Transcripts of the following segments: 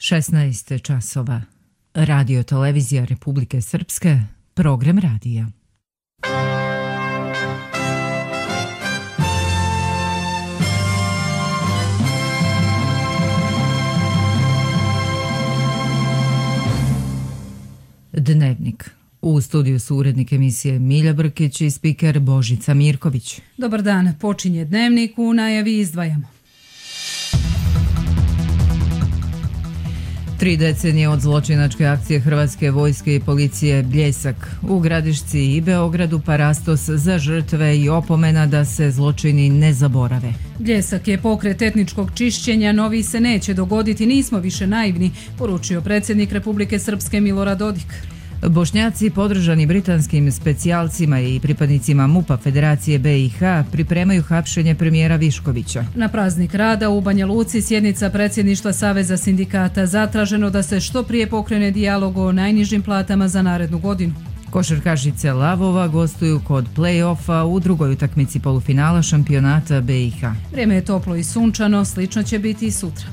16 časova. Radio televizija Republike Srpske, program radija. Dnevnik. U studiju su urednik emisije Milja Brkić i spiker Božica Mirković. Dobar dan, počinje Dnevnik, u najavi izdvajamo. 3 decenije od zločinačke akcije Hrvatske vojske i policije Bljesak. U Gradišci i Beogradu parastos za žrtve i opomena da se zločini ne zaborave. Bljesak je pokret etničkog čišćenja, novi se neće dogoditi, nismo više naivni, poručio predsjednik Republike Srpske Milorad Dodik. Bošnjaci podržani britanskim specijalcima i pripadnicima MUP-a Federacije BiH pripremaju hapšenje premijera Viškovića. Na praznik rada u Banja Luci sjednica predsjedništva Saveza sindikata, zatraženo da se što prije pokrene dijalog o najnižim platama za narednu godinu. Košarkašice Lavova gostuju kod play-offa u drugoj utakmici polufinala šampionata BiH. Vrijeme je toplo i sunčano, slično će biti i sutra.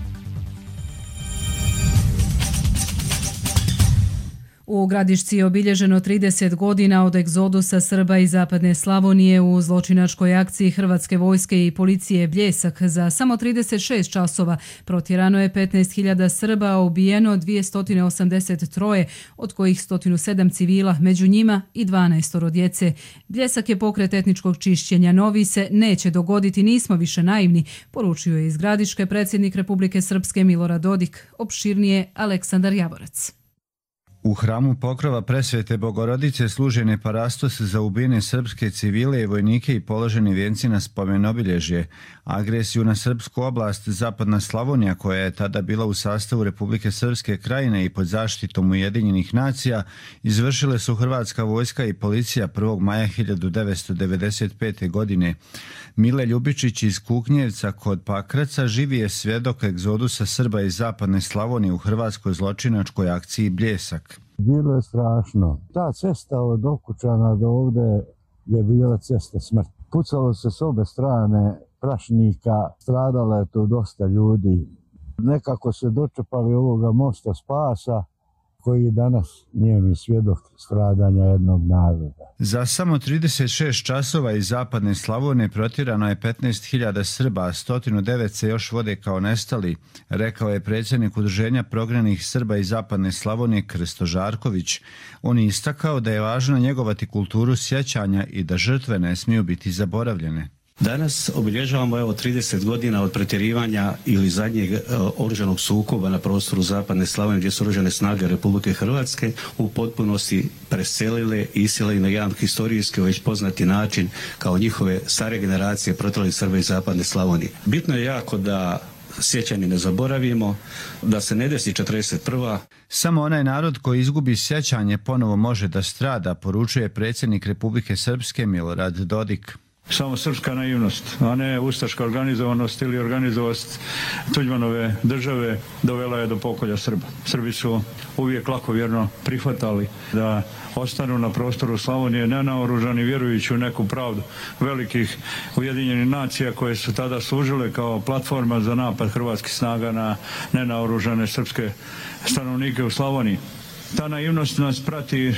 U Gradišci je obilježeno 30 godina od egzodusa Srba iz zapadne Slavonije u zločinačkoj akciji Hrvatske vojske i policije Bljesak. Za samo 36 časova protjerano je 15.000 Srba, a ubijeno 283, od kojih 107 civila, među njima i 12 djece. Bljesak je pokret etničkog čišćenja, novi se neće dogoditi, nismo više naivni, poručio je iz Gradiške predsjednik Republike Srpske Milorad Dodik. Opširnije Aleksandar Javorac. U hramu Pokrova Presvete Bogorodice služen je parastos za ubijene srpske civile i vojnike i položeni vijenci na spomen-obilježje. Agresiju na srpsku oblast Zapadna Slavonija, koja je tada bila u sastavu Republike Srpske Krajine i pod zaštitom Ujedinjenih nacija, izvršile su Hrvatska vojska i policija 1. maja 1995. godine. Mile Ljubičić iz Kuknjevca kod Pakraca živi je svjedok egzodusa Srba iz Zapadne Slavonije u hrvatskoj zločinačkoj akciji Bljesak. Bilo je strašno. Ta cesta od Okučana do ovde je bila cesta smrti. Pucalo se s obe strane prašnika, stradalo je tu dosta ljudi. Nekako se dočepali ovoga mosta spasa, koji danas nije mi svjedok stradanja jednog naroda. Za samo 36 časova iz Zapadne Slavonije protjerano je 15.000 Srba, a 109 se još vode kao nestali, rekao je predsjednik Udruženja prognanih Srba iz Zapadne Slavonije Krsto Žarković. On je istakao da je važno njegovati kulturu sjećanja i da žrtve ne smiju biti zaboravljene. Danas obilježavamo 30 godina od pretjerivanja ili zadnjeg oružanog sukoba na prostoru Zapadne Slavonije, gdje su oružane snage Republike Hrvatske u potpunosti preselile i iselile na jedan historijski već poznati način kao njihove stare generacije protrlih Srba iz Zapadne Slavonije. Bitno je jako da sjećanje ne zaboravimo, da se ne desi 41. Samo onaj narod koji izgubi sjećanje ponovo može da strada, poručuje predsjednik Republike Srpske Milorad Dodik. Samo srpska naivnost, a ne ustaška organizovanost ili organizovanost Tuđmanove države dovela je do pokolja Srba. Srbi su uvijek lakovjerno prihvatali da ostanu na prostoru Slavonije nenaoružani, vjerujući u neku pravdu velikih Ujedinjenih nacija koje su tada služile kao platforma za napad hrvatskih snaga na nenaoružane srpske stanovnike u Slavoniji. Ta naivnost nas prati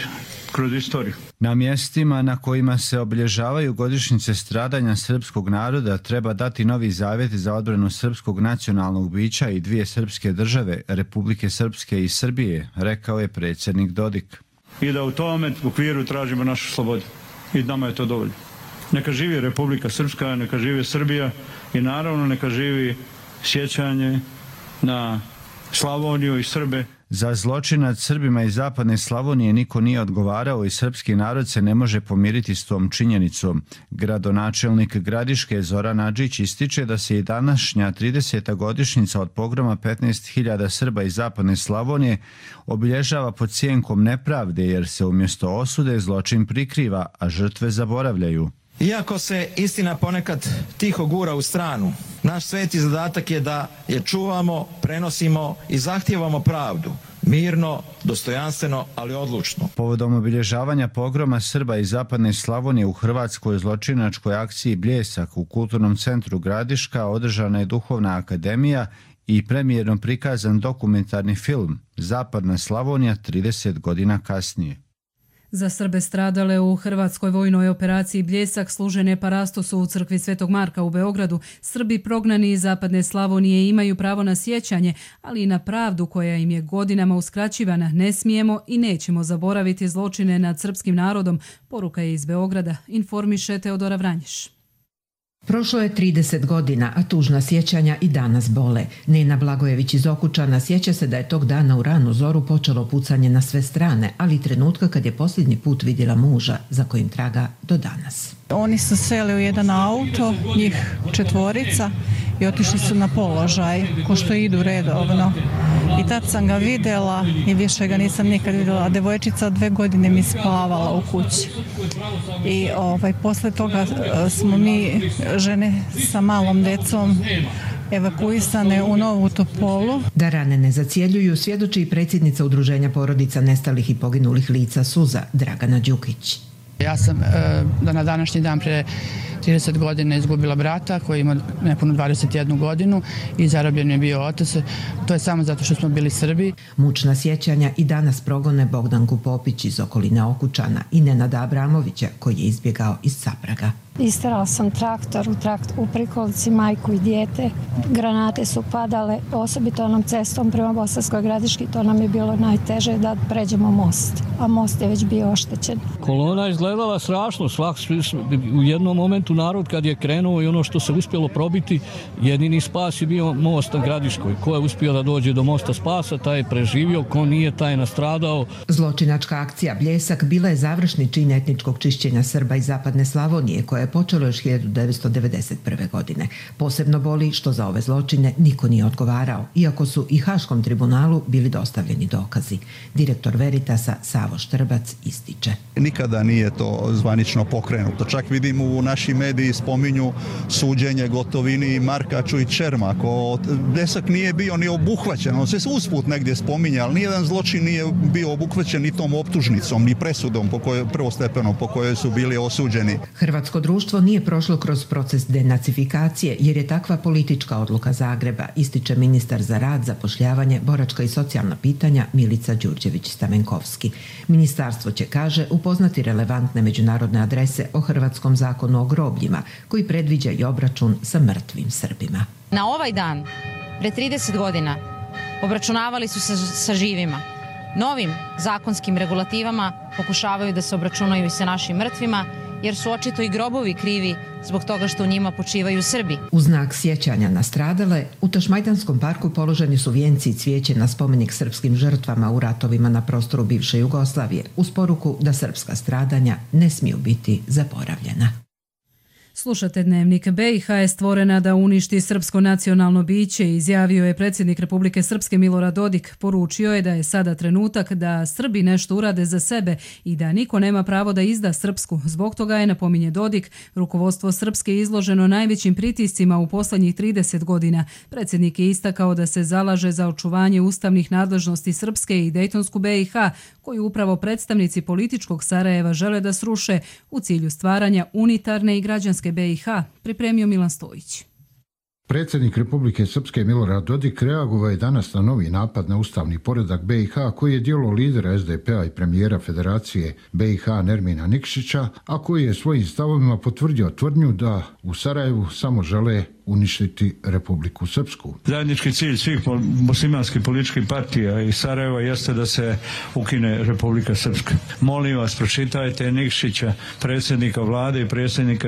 kroz istoriju. Na mjestima na kojima se obilježavaju godišnjice stradanja srpskog naroda treba dati novi zavjet za odbranu srpskog nacionalnog bića i dvije srpske države, Republike Srpske i Srbije, rekao je predsjednik Dodik. I da u tome okviru tražimo našu slobodu. I nama je to dovoljno. Neka živi Republika Srpska, neka živi Srbija i naravno neka živi sjećanje na Slavoniju i Srbe. Za zločin nad Srbima iz Zapadne Slavonije niko nije odgovarao i srpski narod se ne može pomiriti s tom činjenicom. Gradonačelnik Gradiške Zoran Adžić ističe da se i današnja 30. godišnjica od pogroma 15.000 Srba iz Zapadne Slavonije obilježava pod sjenkom nepravde, jer se umjesto osude zločin prikriva, a žrtve zaboravljaju. Iako se istina ponekad tiho gura u stranu, naš sveti zadatak je da je čuvamo, prenosimo i zahtijevamo pravdu. Mirno, dostojanstveno, ali odlučno. Povodom obilježavanja pogroma Srba iz zapadne Slavonije u hrvatskoj zločinačkoj akciji Bljesak u Kulturnom centru Gradiška održana je Duhovna akademija i premijerno prikazan dokumentarni film Zapadna Slavonija 30 godina kasnije. Za Srbe stradale u hrvatskoj vojnoj operaciji Bljesak služene parastosu u crkvi Svetog Marka u Beogradu, Srbi prognani iz zapadne Slavonije imaju pravo na sjećanje, ali i na pravdu koja im je godinama uskraćivana. Ne smijemo i nećemo zaboraviti zločine nad srpskim narodom, poruka je iz Beograda, informiše Teodora Vranješ. Prošlo je 30 godina, a tužna sjećanja i danas bole. Nena Blagojević iz Okučana sjeća se da je tog dana u ranu zoru počelo pucanje na sve strane, ali i trenutka kad je posljednji put vidjela muža, za kojim traga do danas. Oni su seli u jedan auto, njih 4, i otišli su na položaj, ko što idu redovno. I tad sam ga vidjela i više ga nisam nikad vidjela. Devojčica od 2 godine mi spavala u kući. I posle toga smo mi, žene sa malom decom, evakuisane u Novu Topolu. Da rane ne zacjeljuju svjedoči i predsjednica Udruženja porodica nestalih i poginulih lica Suza, Dragana Đukić. Ja sam na današnji dan pre 30 godina izgubila brata koji ima nepunu 21 godinu i zarobljen je bio otac. To je samo zato što smo bili Srbi. Mučna sjećanja i danas progone Bogdanku Popić iz okoline Okučana i Nenada Abramovića koji je izbjegao iz Capraga. Isterala sam traktor u prikolici, majku i dijete. Granate su padale, osobito onom cestom prema Bosanskoj Gradiški. To nam je bilo najteže da pređemo most, a most je već bio oštećen. Kolona je izgledala strašno. U jednom momentu narod kad je krenuo i ono što se uspjelo probiti, jedini spas je bio most na Gradiškoj. Ko je uspio da dođe do mosta spasa, taj je preživio, ko nije, taj je nastradao. Zločinačka akcija Bljesak bila je završni čin etničkog čišćenja Srba iz zapadne Slavonije koje je počelo još 1991. godine. Posebno boli što za ove zločine niko nije odgovarao, iako su i Haškom tribunalu bili dostavljeni dokazi. Direktor Veritasa Savo Štrbac ističe. Nikada nije to zvanično pokrenuto. Čak vidim u našim mediji spominju suđenje Gotovini i Markaču i Čermaku. Bljesak nije bio ni obuhvaćen. On se usput negdje spominja, ali nijedan zločin nije bio obuhvaćen ni tom optužnicom, ni presudom prvostepenom po kojoj su bili osuđeni. Hrvatsko društvo nije prošlo kroz proces denacifikacije jer je takva politička odluka Zagreba, ističe ministar za rad, zapošljavanje, boračka i socijalna pitanja Milica Đurđević-Stamenkovski. Ministarstvo će, kaže, upoznati relevantne međunarodne adrese o hrvatskom zakonu o grobljima koji predviđa i obračun sa mrtvim Srbima. Na ovaj dan, pre 30 godina, obračunavali su se sa živima. Novim zakonskim regulativama pokušavaju da se obračunaju i sa našim mrtvima, jer su očito i grobovi krivi zbog toga što u njima počivaju Srbi. U znak sjećanja na stradale, u Tašmajdanskom parku položeni su vijenci i cvijeće na spomenik srpskim žrtvama u ratovima na prostoru bivše Jugoslavije, uz poruku da srpska stradanja ne smiju biti zaboravljena. Slušate Dnevnik. BiH je stvorena da uništi srpsko nacionalno biće, izjavio je predsjednik Republike Srpske Milorad Dodik. Poručio je da je sada trenutak da Srbi nešto urade za sebe i da niko nema pravo da izda Srpsku. Zbog toga je, napominje Dodik, rukovodstvo Srpske izloženo najvećim pritiscima u posljednjih 30 godina. Predsjednik je istakao da se zalaže za očuvanje ustavnih nadležnosti Srpske i Dejtonsku BiH, koju upravo predstavnici političkog Sarajeva žele da sruše u cilju stvaranja unitarne i građanske BiH, pripremio Milan Stojić. Predsjednik Republike Srpske Milorad Dodik reagovao je danas na novi napad na ustavni poredak BiH koji je djelo lidera SDP-a i premijera Federacije BiH Nermina Nikšića, a koji je svojim stavovima potvrdio tvrdnju da u Sarajevu samo žele uništiti Republiku Srpsku. Zajednički cilj svih muslimanskih političkih partija i Sarajeva jeste da se ukine Republika Srpska. Molim vas, pročitajte Nikšića, predsjednika vlade i predsjednika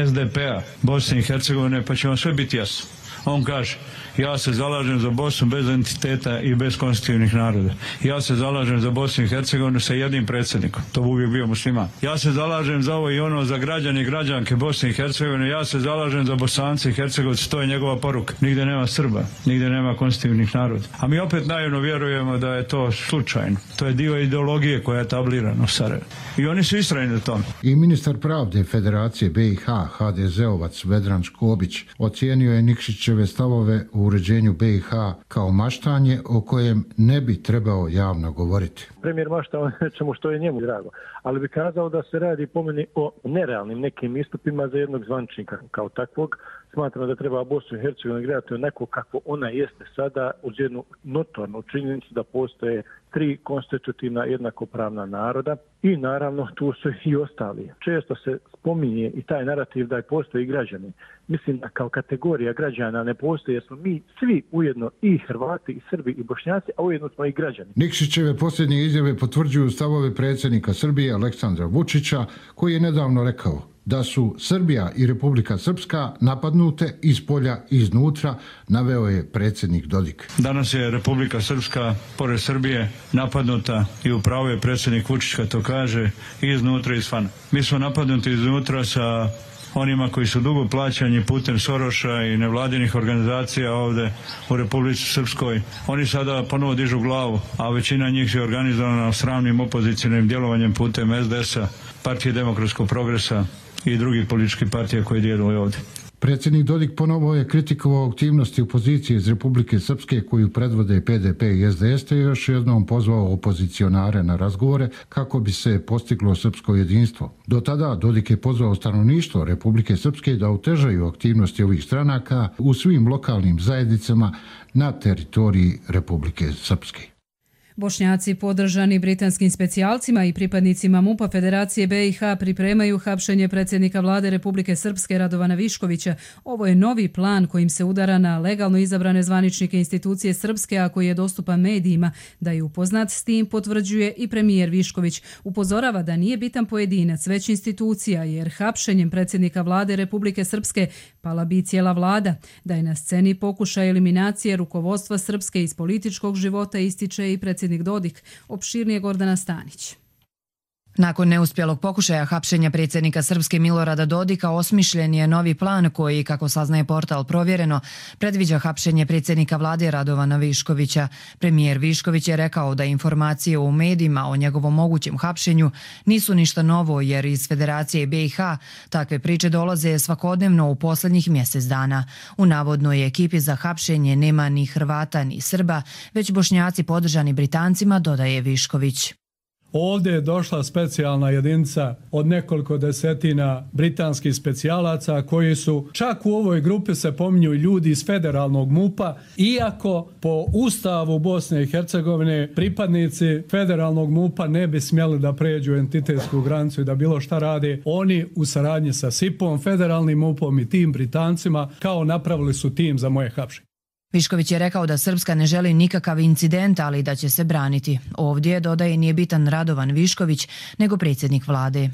SDP-a Bosne i Hercegovine, pa će vam sve biti jasno. On kaže, ja se zalažem za Bosnu bez entiteta i bez konstitutivnih naroda. Ja se zalažem za Bosnu i Hercegovinu sa jednim predsjednikom. To bi uvijek bio musliman. Ja se zalažem za ovo i ono, za građane i građanke Bosne i Hercegovine. Ja se zalažem za Bosance i Hercegovce. To je njegova poruka. Nigde nema Srba, nigde nema konstitutivnih naroda. A mi opet naivno vjerujemo da je to slučajno. To je dio ideologije koja je tablirana u Sarajevu. I oni su istrajni na tom. I ministar pravde Federacije BiH, HDZ-ovac Vedran Škobić, ocijenio je Nikšića Nikšićeve stavove o uređenju BiH kao maštanje o kojem ne bi trebao javno govoriti. Premijer mašta o nečemu što je njemu drago, ali bi kazao da se radi po meni o nerealnim nekim istupima za jednog zvančnika kao takvog. Smatram da treba Bosnu i Hercegovinu gledati onako kako ona jeste sada, uz jednu notornu činjenicu da postoje 3 konstitutivna jednakopravna naroda i naravno tu su i ostali. Često se spominje i taj narativ da postoji građani. Mislim da kao kategorija građana ne postoji jer smo mi svi ujedno i Hrvati i Srbi i Bošnjaci, a ujedno smo i građani. Nikšićeve posljednje izjave potvrđuju stavove predsjednika Srbije Aleksandra Vučića koji je nedavno rekao da su Srbija i Republika Srpska napadnute iz polja i iznutra, naveo je predsjednik Dodik. Danas je Republika Srpska, pored Srbije, napadnuta i upravo je predsjednik Vučić kad to kaže i iznutra i izvana. Mi smo napadnuti iznutra sa onima koji su dugo plaćani putem Soroša i nevladinih organizacija ovdje u Republici Srpskoj. Oni sada ponovo dižu glavu, a većina njih je organizovana sramnim opozicijnim djelovanjem putem SDS-a, Partije demokratskog progresa i drugih političkih partija koji djeluju ovdje. Predsjednik Dodik ponovo je kritikovao aktivnosti opozicije iz Republike Srpske koju predvode PDP i SDS te još jednom pozvao opozicionare na razgovore kako bi se postiglo srpsko jedinstvo. Do tada Dodik je pozvao stanovništvo Republike Srpske da otežaju aktivnosti ovih stranaka u svim lokalnim zajednicama na teritoriji Republike Srpske. Bošnjaci podržani britanskim specijalcima i pripadnicima MUP-a Federacije BiH pripremaju hapšenje predsjednika vlade Republike Srpske Radovana Viškovića. Ovo je novi plan kojim se udara na legalno izabrane zvaničnike institucije Srpske, a koji je dostupan medijima. Da je upoznat s tim potvrđuje i premijer Višković. Upozorava da nije bitan pojedinac, već institucija, jer hapšenjem predsjednika vlade Republike Srpske pala bi cijela vlada. Da je na sceni pokušaj eliminacije rukovodstva Srpske iz političkog života, ističe i predsjednik Dodik. Opširnije Gordana Stanić. Nakon neuspjelog pokušaja hapšenja predsjednika Srpske Milorada Dodika osmišljen je novi plan koji, kako saznaje portal Provjereno, predviđa hapšenje predsjednika vlade Radovana Viškovića. Premijer Višković je rekao da informacije u medijima o njegovom mogućem hapšenju nisu ništa novo jer iz Federacije BiH takve priče dolaze svakodnevno u posljednjih mjesec dana. U navodnoj ekipi za hapšenje nema ni Hrvata ni Srba, već Bošnjaci podržani Britancima, dodaje Višković. Ovdje je došla specijalna jedinica od nekoliko desetina britanskih specijalaca koji su, čak u ovoj grupi se pominju ljudi iz federalnog MUP-a, iako po Ustavu Bosne i Hercegovine pripadnici federalnog MUP-a ne bi smjeli da pređu entitetsku granicu i da bilo šta rade. Oni u saradnji sa SIP-om, federalnim MUP-om i tim Britancima kao napravili su tim za moje hapšenje. Višković je rekao da Srpska ne želi nikakav incident, ali da će se braniti. Ovdje, dodaje, nije bitan Radovan Višković, nego predsjednik vlade.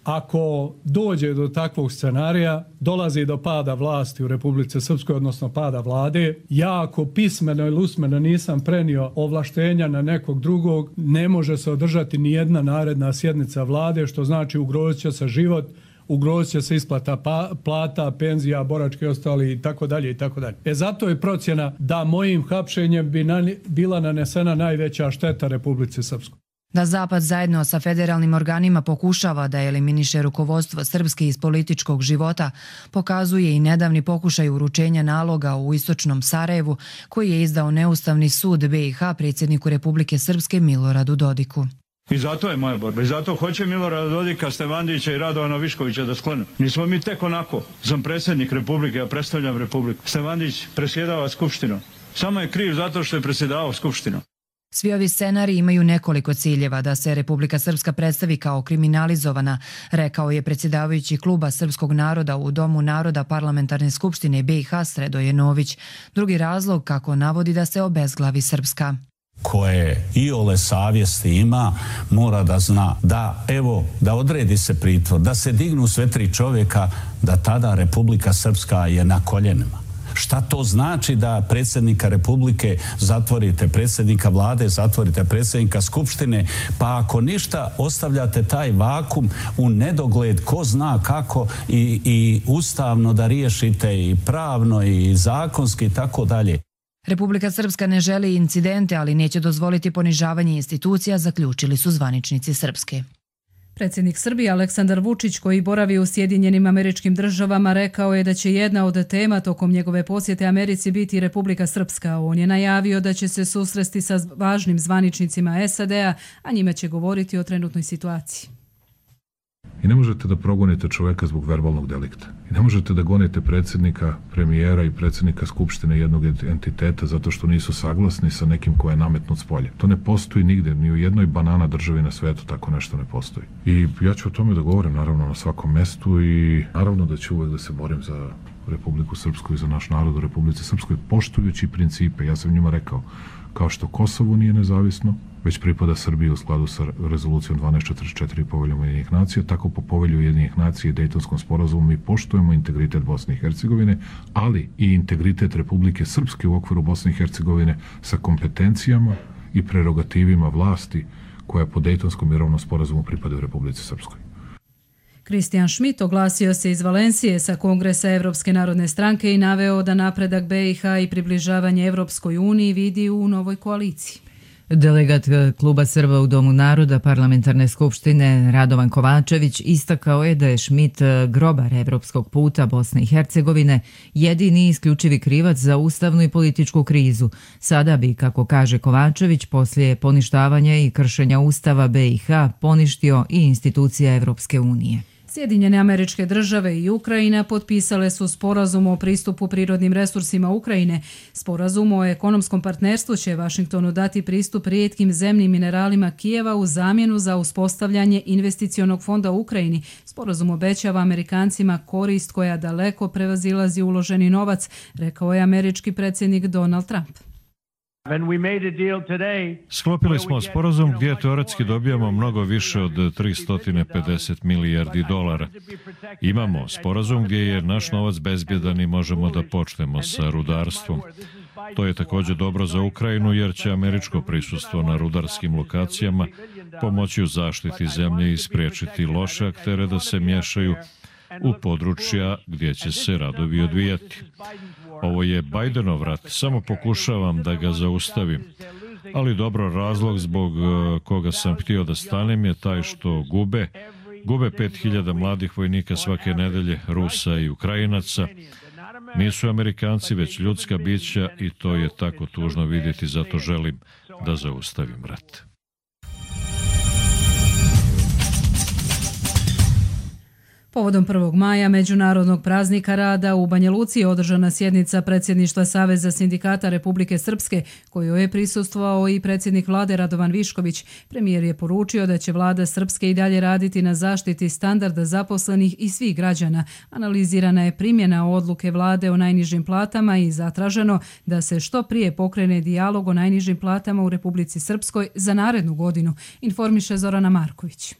Ako dođe do takvog scenarija, dolazi do pada vlasti u Republici Srpskoj, odnosno pada vlade. Ja ako pismeno ili usmeno nisam prenio ovlaštenja na nekog drugog, ne može se održati ni jedna naredna sjednica vlade, što znači ugrozit će se život, ugrozit će se isplata plata, penzija, boračke i ostali i tako dalje i tako dalje. Zato je procjena da mojim hapšenjem bi bila nanesena najveća šteta Republici Srpskoj. Da Zapad zajedno sa federalnim organima pokušava da eliminiše rukovodstvo Srpske iz političkog života, pokazuje i nedavni pokušaj uručenja naloga u istočnom Sarajevu koji je izdao neustavni sud BiH predsjedniku Republike Srpske Miloradu Dodiku. I zato je moja borba. I zato hoće Milorada Dodika, Stevandića i Radovana Viškovića da sklonu. Nismo mi tek onako. Sam predsjednik Republike, ja predstavljam Republiku. Stevandić presjedava Skupštinom. Samo je kriv zato što je presjedavao Skupštinom. Svi ovi scenariji imaju nekoliko ciljeva: da se Republika Srpska predstavi kao kriminalizovana, rekao je predsjedavajući kluba Srpskog naroda u Domu naroda Parlamentarne skupštine BiH Sredoje Nović. Drugi razlog, kako navodi, da se obezglavi Srpska. Koje iole savjesti ima, mora da zna da, evo, da odredi se pritvor, da se dignu sve 3 čovjeka, da tada Republika Srpska je na koljenima. Šta to znači da predsjednika Republike zatvorite, predsjednika vlade zatvorite, predsjednika Skupštine, pa ako ništa ostavljate taj vakum u nedogled, ko zna kako i ustavno da riješite i pravno i zakonski i tako dalje. Republika Srpska ne želi incidente, ali neće dozvoliti ponižavanje institucija, zaključili su zvaničnici Srpske. Predsjednik Srbije Aleksandar Vučić, koji boravi u Sjedinjenim Američkim Državama, rekao je da će jedna od tema tokom njegove posjete Americi biti Republika Srpska. On je najavio da će se susresti sa važnim zvaničnicima SAD-a, a njima će govoriti o trenutnoj situaciji. I ne možete da progonite čoveka zbog verbalnog delikta. I ne možete da gonite predsjednika, premijera i predsjednika Skupštine jednog entiteta zato što nisu saglasni sa nekim ko je nametnut s polja. To ne postoji nigde, ni u jednoj banana državi na svetu tako nešto ne postoji. I ja ću o tome da govorim naravno na svakom mestu i naravno da ću uvek da se borim za Republiku Srpsku i za naš narod u Republici Srpskoj, poštujući principe. Ja sam njima rekao, kao što Kosovo nije nezavisno, već pripada Srbiji u skladu sa rezolucijom 1244 i poveljom Ujedinjenih nacija, tako po povelju Ujedinjenih nacija i Dejtonskom sporazumu mi poštujemo integritet Bosne i Hercegovine, ali i integritet Republike Srpske u okviru Bosne i Hercegovine sa kompetencijama i prerogativima vlasti koja po Dejtonskom mirovnom sporazumu pripada u Republici Srpskoj. Kristijan Schmidt oglasio se iz Valencije sa Kongresa Evropske narodne stranke i naveo da napredak BiH i približavanje Evropskoj uniji vidi u novoj koaliciji. Delegat Kluba Srba u Domu naroda Parlamentarne skupštine Radovan Kovačević istakao je da je Schmidt grobar evropskog puta Bosne i Hercegovine, jedini i isključivi krivac za ustavnu i političku krizu. Sada bi, kako kaže Kovačević, poslije poništavanja i kršenja Ustava BiH poništio i institucija Evropske unije. Sjedinjene Američke Države i Ukrajina potpisale su sporazum o pristupu prirodnim resursima Ukrajine. Sporazum o ekonomskom partnerstvu će Vašingtonu dati pristup rijetkim zemnim mineralima Kijeva u zamjenu za uspostavljanje investicionog fonda u Ukrajini. Sporazum obećava Amerikancima korist koja daleko prevazilazi uloženi novac, rekao je američki predsjednik Donald Trump. Sklopili smo sporazum gdje teoretski dobijamo mnogo više od 350 milijardi dolara. Imamo sporazum gdje je naš novac bezbjedan i možemo da počnemo sa rudarstvom. To je također dobro za Ukrajinu jer će američko prisustvo na rudarskim lokacijama pomoći u zaštiti zemlje i spriječiti loše aktere da se miješaju u područja gdje će se radovi odvijati. Ovo je Bidenov rat, samo pokušavam da ga zaustavim. Ali dobro, razlog zbog koga sam htio da stanem je taj što gube 5000 mladih vojnika svake nedelje, Rusa i Ukrajinaca. Nisu Amerikanci, već ljudska bića i to je tako tužno vidjeti, zato želim da zaustavim rat. Povodom 1. maja, Međunarodnog praznika rada, u Banja Luci je održana sjednica predsjedništva Saveza sindikata Republike Srpske, kojoj je prisustvovao i predsjednik vlade Radovan Višković. Premijer je poručio da će vlada Srpske i dalje raditi na zaštiti standarda zaposlenih i svih građana. Analizirana je primjena odluke vlade o najnižim platama i zatraženo da se što prije pokrene dijalog o najnižim platama u Republici Srpskoj za narednu godinu, informiše Zorana Marković.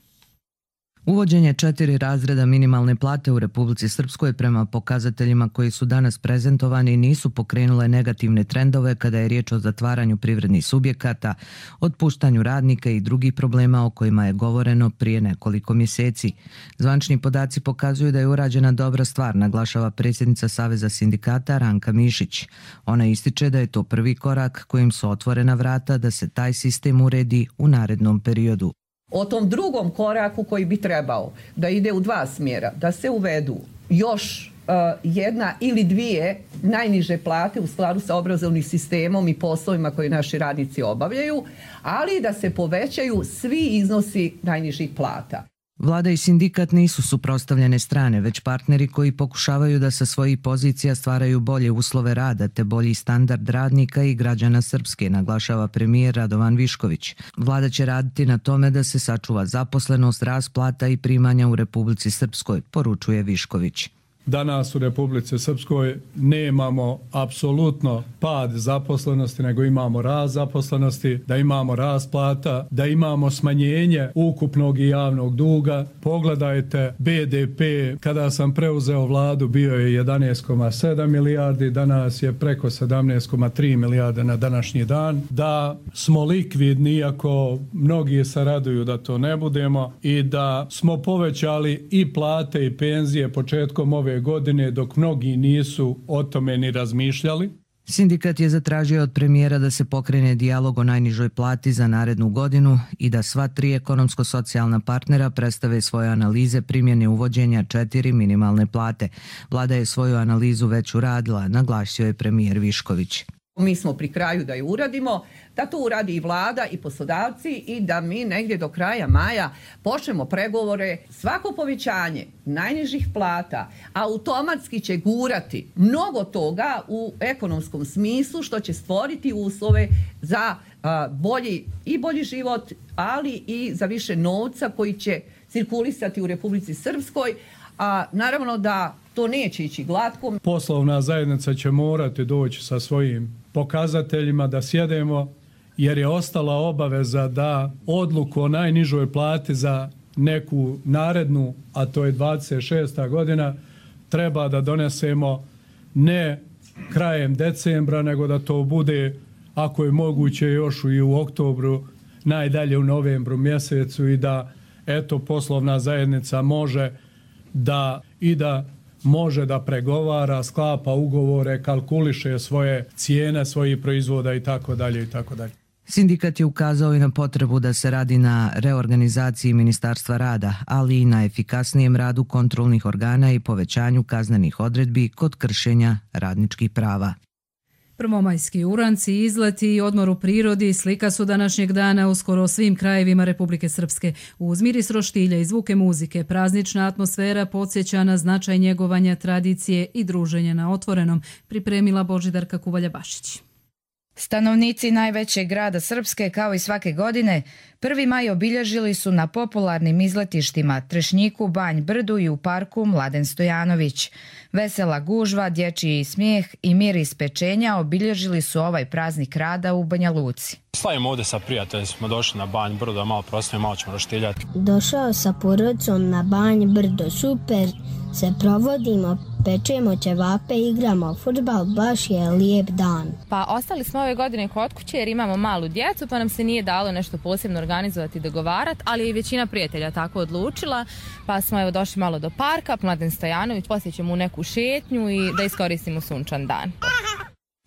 Uvođenje 4 razreda minimalne plate u Republici Srpskoj prema pokazateljima koji su danas prezentovani nisu pokrenule negativne trendove kada je riječ o zatvaranju privrednih subjekata, otpuštanju radnika i drugih problema o kojima je govoreno prije nekoliko mjeseci. Zvanični podaci pokazuju da je urađena dobra stvar, naglašava predsjednica Saveza sindikata Ranka Mišić. Ona ističe da je to prvi korak kojim su otvorena vrata da se taj sistem uredi u narednom periodu. O tom drugom koraku koji bi trebao da ide u 2 smjera, da se uvedu još jedna ili 2 najniže plate u skladu sa obrazovnim sistemom i poslovima koje naši radnici obavljaju, ali da se povećaju svi iznosi najnižih plata. Vlada i sindikat nisu suprotstavljene strane, već partneri koji pokušavaju da sa svojih pozicija stvaraju bolje uslove rada te bolji standard radnika i građana Srpske, naglašava premijer Radovan Višković. Vlada će raditi na tome da se sačuva zaposlenost, rast plata i primanja u Republici Srpskoj, poručuje Višković. Danas u Republici Srpskoj nemamo apsolutno pad zaposlenosti, nego imamo rast zaposlenosti, da imamo rast plata, da imamo smanjenje ukupnog i javnog duga. Pogledajte BDP, kada sam preuzeo vladu bio je 11,7 milijardi, danas je preko 17,3 milijarde na današnji dan. Da smo likvidni, iako mnogi se raduju da to ne budemo, i da smo povećali i plate i penzije početkom ove godine dok mnogi nisu o tome ni razmišljali. Sindikat je zatražio od premijera da se pokrene dijalog o najnižoj plati za narednu godinu i da sva 3 ekonomsko-socijalna partnera predstave svoje analize primjene uvođenja 4 minimalne plate. Vlada je svoju analizu već uradila, naglasio je premijer Višković. Mi smo pri kraju da je uradimo, da to uradi i vlada i poslodavci i da mi negdje do kraja maja počnemo pregovore. Svako povećanje najnižih plata automatski će gurati mnogo toga u ekonomskom smislu što će stvoriti uslove za bolji život, ali i za više novca koji će cirkulisati u Republici Srpskoj. A naravno da to neće ići glatko. Poslovna zajednica će morati doći sa svojim pokazateljima da sjedemo, jer je ostala obaveza da odluku o najnižoj plati za neku narednu, a to je 26. godina, treba da donesemo ne krajem decembra, nego da to bude, ako je moguće, još i u oktobru, najdalje u novembru mjesecu i da, eto, poslovna zajednica može da pregovara, sklapa ugovore, kalkuliše svoje cijene, svojih proizvoda i tako dalje i tako dalje. Sindikat je ukazao i na potrebu da se radi na reorganizaciji Ministarstva rada, ali i na efikasnijem radu kontrolnih organa i povećanju kaznenih odredbi kod kršenja radničkih prava. Prvomajski uranci, izleti i odmor u prirodi slika su današnjeg dana u skoro svim krajevima Republike Srpske. Uz miris roštilja i zvuke muzike, praznična atmosfera podsjeća na značaj njegovanja tradicije i druženja na otvorenom, pripremila Božidarka Kuvalja-Bašić. Stanovnici najvećeg grada Srpske, kao i svake godine, 1. maj obilježili su na popularnim izletištima Trešnjiku, Banj Brdu i u parku Mladen Stojanović. Vesela gužva, dječji smijeh i miris pečenja obilježili su ovaj praznik rada u Banja Luci. Slavimo ovdje sa prijateljima, smo došli na Banj Brdo, malo proslavimo, malo ćemo roštiljati. Došao sa porodicom na Banj Brdo, super se provodimo, pečemo ćevape, igramo fudbal, baš je lijep dan. Pa ostali smo ove godine kod kuće jer imamo malu djecu, pa nam se nije dalo nešto posebno organizovati i dogovarati, ali je i većina prijatelja tako odlučila, pa smo evo došli malo do parka, Mladen Stojanović, poslije ćemo u neku šetnju i da iskoristimo sunčan dan.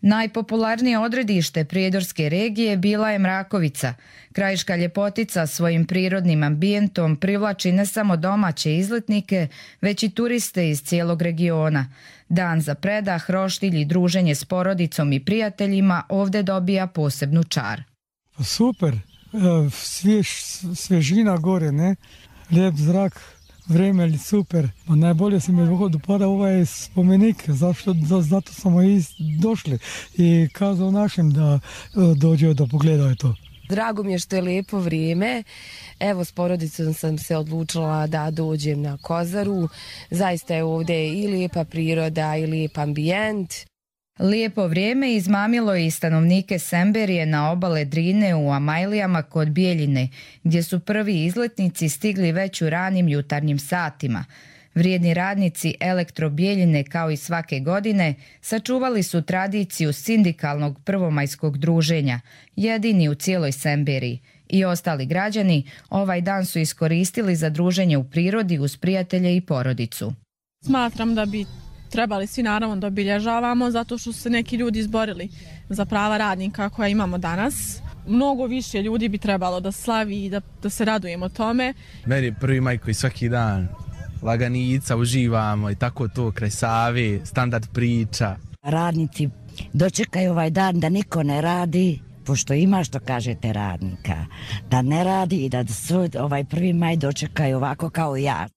Najpopularnije odredište prijedorske regije bila je Mrakovica. Krajiška ljepotica svojim prirodnim ambijentom privlači ne samo domaće izletnike, već i turiste iz cijelog regiona. Dan za predah, roštilj i druženje s porodicom i prijateljima ovdje dobija posebnu čar. Super, svježina gore, ne? Lijep zrak. Vreme je super, no najbolje se mi dopada ovaj spomenik, zato smo i došli i kazao našim da dođe da pogledaju to. Drago mi je što je lijepo vrijeme, evo s porodicom sam se odlučila da dođem na Kozaru, zaista je ovdje i lijepa priroda i lijep ambijent. Lijepo vrijeme izmamilo je i stanovnike Semberije na obale Drine u Amajlijama kod Bijeljine, gdje su prvi izletnici stigli već u ranim jutarnjim satima. Vrijedni radnici Elektro Bijeljine, kao i svake godine, sačuvali su tradiciju sindikalnog prvomajskog druženja, jedini u cijeloj Semberiji. I ostali građani ovaj dan su iskoristili za druženje u prirodi uz prijatelje i porodicu. Smatram da bi trebali svi naravno da obilježavamo zato što su se neki ljudi izborili za prava radnika koja imamo danas. Mnogo više ljudi bi trebalo da slavi i da se radujemo tome. Meni je 1. maj koji svaki dan laganica, uživamo i tako to kraj Save, standard priča. Radnici dočekaju ovaj dan da niko ne radi, pošto ima što kažete radnika, da ne radi i da ovaj 1. maj dočekaju ovako kao ja.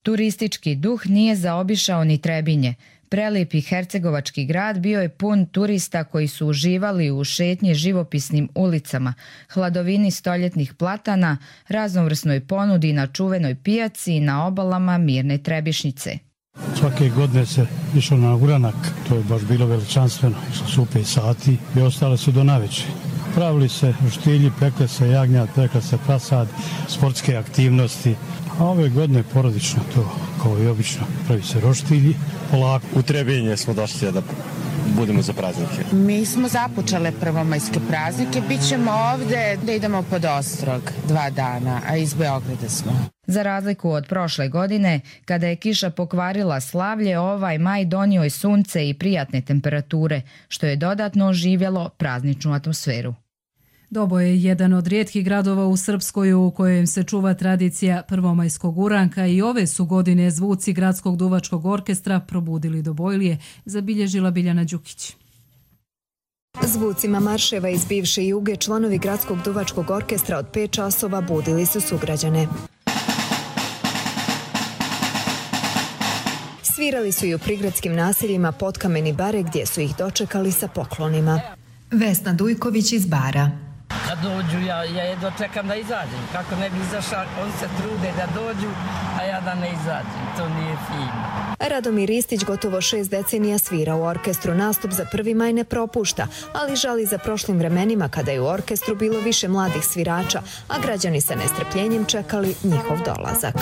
Turistički duh nije zaobišao ni Trebinje. Prelijepi hercegovački grad bio je pun turista koji su uživali u šetnji živopisnim ulicama, hladovini stoljetnih platana, raznovrsnoj ponudi na čuvenoj pijaci i na obalama mirne Trebišnice. Svake godine se išlo na uranak, to je baš bilo veličanstveno, išlo su 5 sati i ostale su do navečer. Pravili se roštilji, pekle se jagnjad, pekle se prasad, sportske aktivnosti. A ove godine porodično to, kao i obično, pravi se roštilji, polako. U Trebinje smo došli da budemo za praznike. Mi smo započele prvomajske praznike, bit ćemo ovdje da idemo pod Ostrog 2 dana, a iz Beograda smo. Za razliku od prošle godine, kada je kiša pokvarila slavlje, ovaj maj donio je sunce i prijatne temperature, što je dodatno oživjelo prazničnu atmosferu. Dobo je jedan od rijetkih gradova u Srpskoj u kojem se čuva tradicija prvomajskog uranka i ove su godine zvuci Gradskog duvačkog orkestra probudili Dobojlije, zabilježila Biljana Đukić. Zvucima marševa iz bivše Juge članovi Gradskog duvačkog orkestra od 5 časova budili su sugrađane. Svirali su i u prigradskim naseljima Potkamen i Bare gdje su ih dočekali sa poklonima. Vesna Dujković iz Bara. Kad dođu, ja jedva čekam da izađem. Kako ne bi izašao, oni se trude da dođu, a ja da ne izađem. To nije fino. Radomir Ristić gotovo 6 decenija svira u orkestru. Nastup za 1. maj ne propušta, ali žali za prošlim vremenima kada je u orkestru bilo više mladih svirača, a građani sa nestrpljenjem čekali njihov dolazak.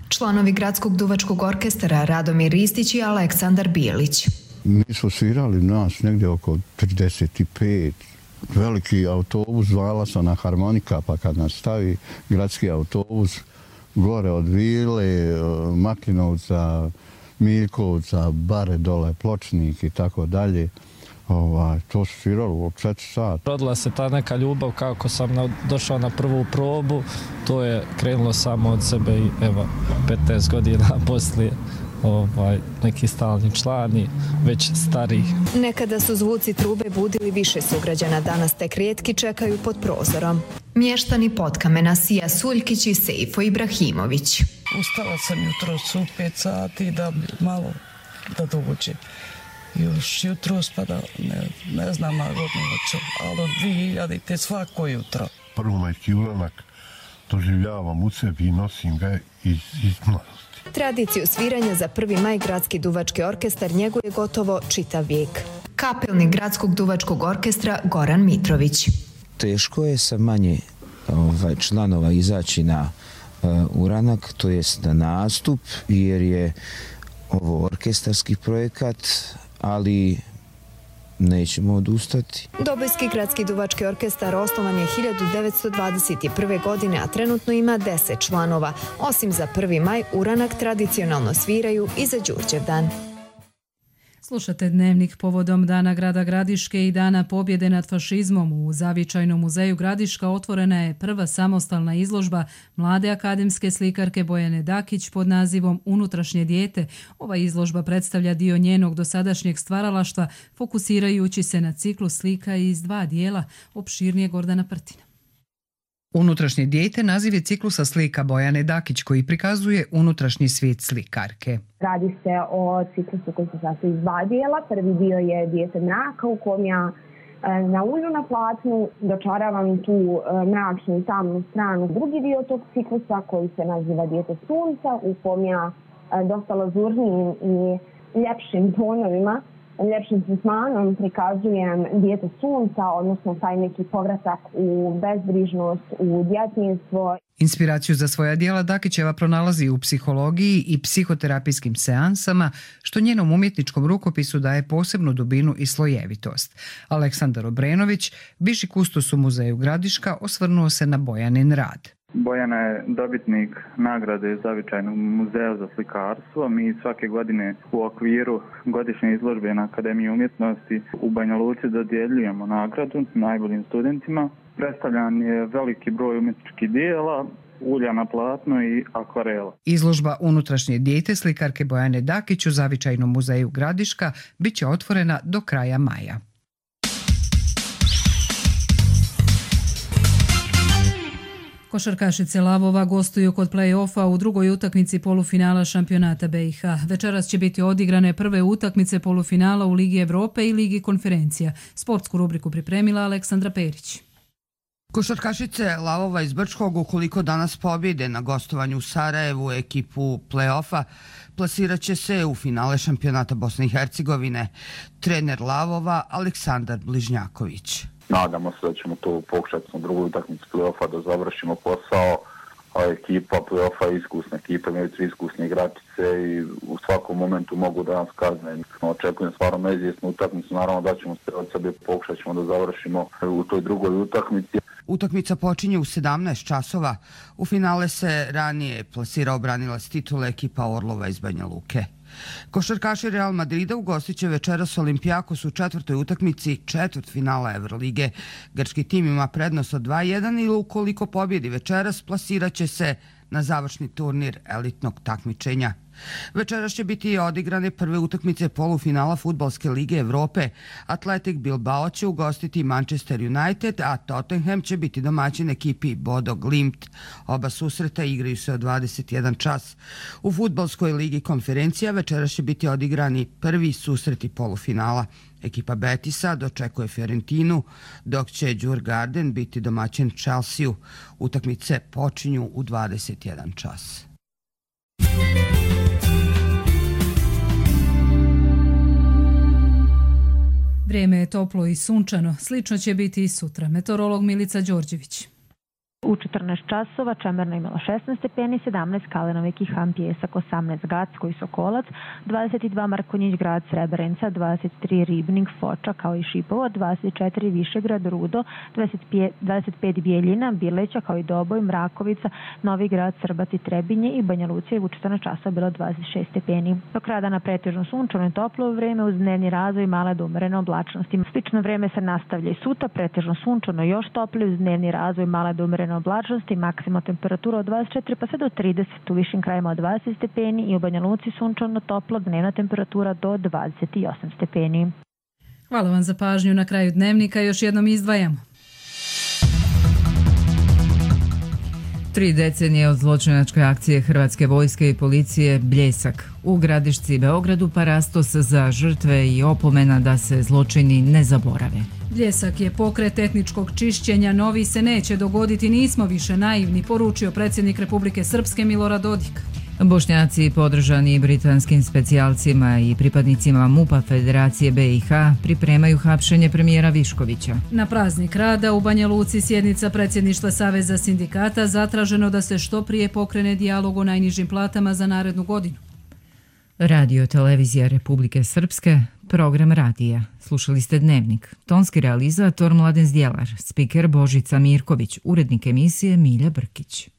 Članovi Gradskog duvačkog orkestra Radomir Ristić i Aleksandar Bijelić. Mi smo svirali nas negdje oko 35. Veliki autobus, zvala se na harmonika, pa kad nas stavi gradski autobus gore od Vile, Maklinovca, Miljkovca, Bare dole, Pločnik i tako dalje. To su sviralo od 4 sata. Rodila se ta neka ljubav kako sam došao na prvu probu, to je krenulo samo od sebe i evo 15 godina poslije. Neki stalni člani, već stariji. Nekada su zvuci trube budili više sugrađana, danas tek rijetki čekaju pod prozorom. Mještani Potkamena Sija Suljkić i Sejfo Ibrahimović. Ustala sam jutros u 5 sati da malo da dođem. Još jutros pa da ne znam na godinu hoću, ali od 2000 svako jutro. Prvomajski uranak doživljavam u sebi i nosim ga iz mladosti. Tradiciju sviranja za 1. maj Gradski duvački orkestar njeguje gotovo čitav vijek. Kapelnik Gradskog duvačkog orkestra Goran Mitrović. Teško je sa manje članova izaći na uranak, to jest na nastup, jer je ovo orkestarski projekat, ali nećemo odustati. Dobojski Gradski duvački orkestar osnovan je 1921. godine, a trenutno ima 10 članova. Osim za 1. maj, uranak tradicionalno sviraju i za Đurđevdan. Slušate Dnevnik povodom Dana grada Gradiške i Dana pobjede nad fašizmom. U Zavičajnom muzeju Gradiška otvorena je prva samostalna izložba mlade akademske slikarke Bojane Dakić pod nazivom Unutrašnje dijete. Ova izložba predstavlja dio njenog dosadašnjeg stvaralaštva, fokusirajući se na ciklus slika iz 2 dijela, opširnije Gordana Prtina. Unutrašnje dijete naziv je ciklusa slika Bojane Dakić koji prikazuje unutrašnji svijet slikarke. Radi se o ciklusu koji se sastoji iz 2 dijela. Prvi dio je Dijete mraka u kom ja na ulju na platnu dočaravam tu mračnu i tamnu stranu. Drugi dio tog ciklusa koji se naziva Dijete sunca u kom ja dosta lazurnijim i ljepšim tonovima, ljepšim tretmanom prikazujem dijete sunca, odnosno taj neki povratak u bezbrižnost, u djetinjstvo. Inspiraciju za svoja djela Dakićeva pronalazi u psihologiji i psihoterapijskim seansama, što njenom umjetničkom rukopisu daje posebnu dubinu i slojevitost. Aleksandar Obrenović, bivši kustos u muzeju Gradiška, osvrnuo se na Bojanin rad. Bojana je dobitnik nagrade Zavičajnog muzeja za slikarstvo. Mi svake godine u okviru godišnje izložbe na Akademiji umjetnosti u Banja Luci dodjeljujemo nagradu najboljim studentima. Predstavljan je veliki broj umjetničkih dijela, ulja na platno i akvarela. Izložba Unutrašnje dijete slikarke Bojane Dakić u Zavičajnom muzeju Gradiška bit će otvorena do kraja maja. Košarkašice Lavova gostuju kod play-offa u drugoj utakmici polufinala šampionata BiH. Večeras će biti odigrane prve utakmice polufinala u Ligi Evrope i Ligi konferencija. Sportsku rubriku pripremila Aleksandra Perić. Košarkašice Lavova iz Brčkog, ukoliko danas pobjede na gostovanju u Sarajevu ekipu play-offa, plasirat će se u finale šampionata Bosne i Hercegovine. Trener Lavova Aleksandar Bližnjaković. Nadamo se da ćemo to pokušati na drugoj utakmici play-offa da završimo posao. Ekipa play-offa je iskusna ekipa, imaju 3 iskusne igračice i u svakom momentu mogu da nas kazne. Očekujem stvarno neizvjesnu utakmicu, naravno da ćemo se od sebe pokušat ćemo da završimo u toj drugoj utakmici. Utakmica počinje u 17 časova. U finale se ranije plasirao branilac titule ekipa Orlova iz Banja Luke. Košarkaši Real Madrida ugostit će večeras Olimpijakos u četvrtoj utakmici četvrtfinala Evrolige. Grčki tim ima prednost od 2:1 i ukoliko pobjedi večeras plasirat će se na završni turnir elitnog takmičenja. Večeras će biti odigrane prve utakmice polufinala Fudbalske lige Evrope. Athletic Bilbao će ugostiti Manchester United, a Tottenham će biti domaćin ekipi Bodo Glimt. Oba susreta igraju se od 21 čas. U Fudbalskoj ligi Konferencija večeras će biti odigrani prvi susreti polufinala. Ekipa Betisa dočekuje Fiorentinu, dok će Djurgården biti domaćin Chelsea-u. Utakmice počinju u 21 čas. Vrijeme je toplo i sunčano, slično će biti i sutra. Meteorolog Milica Đorđević. U 14 časova Čemerna imala 16 stepeni, 17 Kalenovik i Ham Pjesak, 18 Gacko i Sokolac, 22 Markonjić grad Srebrenica, 23 Ribnik, Foča kao i Šipovo, 24 Višegrad, Rudo, 25 Bijeljina, Bileća kao i Doboj, Mrakovica, Novi grad, Srbac i Trebinje i Banja Lucija u 14 časova bilo 26 stepeni. Do kraja dana pretežno sunčano i toplo vreme uz dnevni razvoj male do umjerene oblačnosti. Slično vreme se nastavlja i sutra, pretežno sunčano još toplije uz dnevni razvoj male do umjerene oblačnosti, maksimalna temperatura od 24 pa sve do 30, u višim krajima od 20 stepeni i u Banja Luci sunčano toplo, dnevna temperatura do 28 stepeni. Hvala vam za pažnju. Na kraju dnevnika još jednom izdvajamo. 3 decenije od zločinačke akcije Hrvatske vojske i policije Bljesak. U Gradišci i Beogradu parastos za žrtve i opomena da se zločini ne zaborave. Bljesak je pokret etničkog čišćenja, novi se neće dogoditi, nismo više naivni, poručio predsjednik Republike Srpske Milorad Dodik. Bošnjaci podržani britanskim specijalcima i pripadnicima MUP-a Federacije BiH pripremaju hapšenje premijera Viškovića. Na praznik rada u Banja Luci sjednica predsjedništva Saveza sindikata, zatraženo da se što prije pokrene dijalog o najnižim platama za narednu godinu. Radio Televizija Republike Srpske, program radija. Slušali ste Dnevnik. Tonski realizator Mladen Zdjelar, spiker Božica Mirković, urednik emisije Milja Brkić.